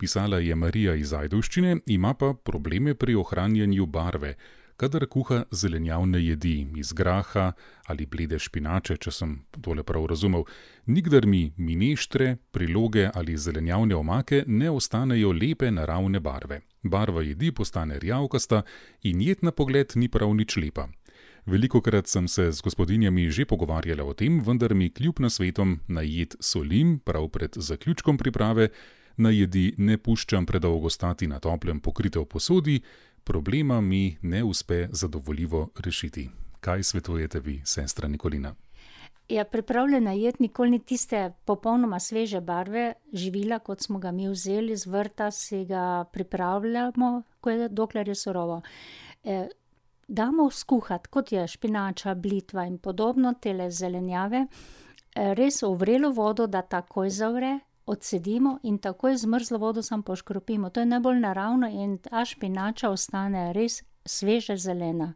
Pisala je Marija iz Ajdovščine, ima pa probleme pri ohranjanju barve, kadar kuha zelenjavne jedi iz graha ali blede špinače, če sem tole prav razumel. Nikdar mi mineštre, priloge ali zelenjavne omake ne ostanejo lepe naravne barve. Barva jedi postane rjavkasta in jed na pogled ni prav nič lepa. Velikokrat sem se z gospodinjami že pogovarjala o tem, vendar mi kljub nasvetom na jed solim prav pred zaključkom priprave, na jedi ne puščam predolgo stati na toplem pokrite v posodi, problema mi ne uspe zadovoljivo rešiti. Kaj svetujete vi, sestra Nikolina? Ja, pripravljena jed nikoli ni tiste popolnoma sveže barve živila, kot smo ga mi vzeli z vrta, si ga pripravljamo, dokler je surovo. Damo skuhati, kot je špinača, blitva in podobno, tele zelenjave, res v vrelo vodo, da takoj zavre, odcedimo in takoj z mrzlo vodo samo poškropimo. To je najbolj naravno in ta špinača ostane res sveže zelena.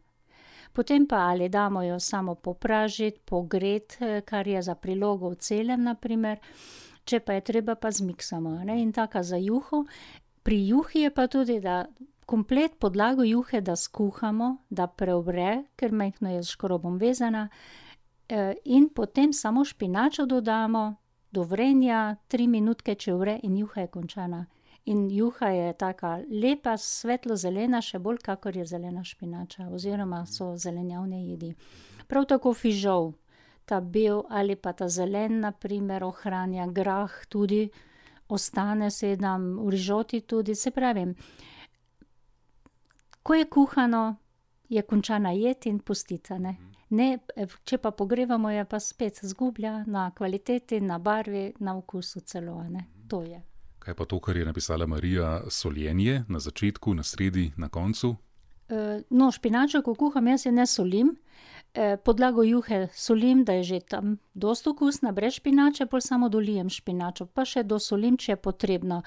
Potem pa ali damo jo samo popražiti, pogreti, kar je za prilogo v celem, naprimer, če pa je treba, pa zmiksamo, ne? In taka za juho. Pri juhi je pa tudi, da komplet podlago juhe, da skuhamo, da preovre, ker majhno je s škrobom vezana, in potem samo špinačo dodamo, do vrenja 3 minutke, če vre, in juha je končana. In juha je taka lepa, svetlo zelena, še bolj kakor je zelena špinača, oziroma so zelenjavne jedi. Prav tako fižol, ta bel ali pa ta zelen, naprimer, ohranja, grah tudi, ostane se nam v rižoti tudi, se pravim. Ko je kuhano, je končana jed in pustita, ne. Ne, če pa pogrevamo, je pa spet zgublja na kvaliteti, na barvi, na okusu celo, ne. To je. Kaj pa to, kar je napisala Marija, soljenje na začetku, na sredi, na koncu? No, špinačo, ko kuham, jaz je ne solim. Podlago juhe solim, da je že tam dosti okusna, brez špinače, pol samo dolijem špinačo, pa še dosolim, če je potrebno.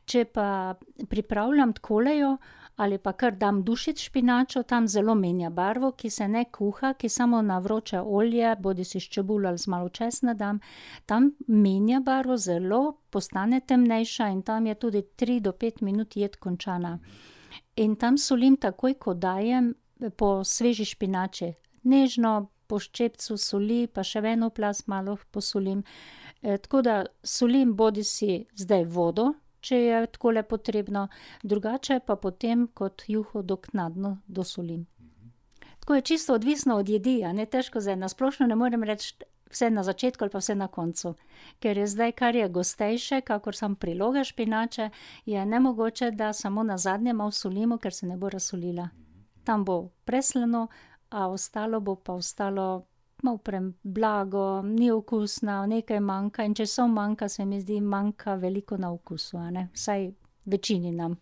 Če pa pripravljam tkolejo, ali pa kar dam dušiti špinačo, tam zelo menja barvo, ki se ne kuha, ki samo na vroče olje, bodisi s čebulo ali z malo česna dam, tam menja barvo zelo, postane temnejša in tam je tudi 3 do 5 minut jed končana. In tam solim takoj, ko dajem po sveži špinači. Nežno, po ščepcu soli, pa še v eno plast malo posolim. Tako da solim bodisi zdaj vodo, če je takole potrebno, drugače pa potem kot juho doknadno dosolim. Tako je čisto odvisno od jedi, a ne, težko zdaj na splošno ne morem reči vse na začetku ali pa vse na koncu. Ker je zdaj, kar je gostejše, kakor samo priloga špinače, je nemogoče, da samo na zadnje malo solimo, ker se ne bo razsolila. Tam bo preslano, a ostalo bo pa ostalo malo blago, ni okusna, nekaj manjka in če manjka, se mi zdi, manjka veliko na okusu, a ne, vsaj večini nam.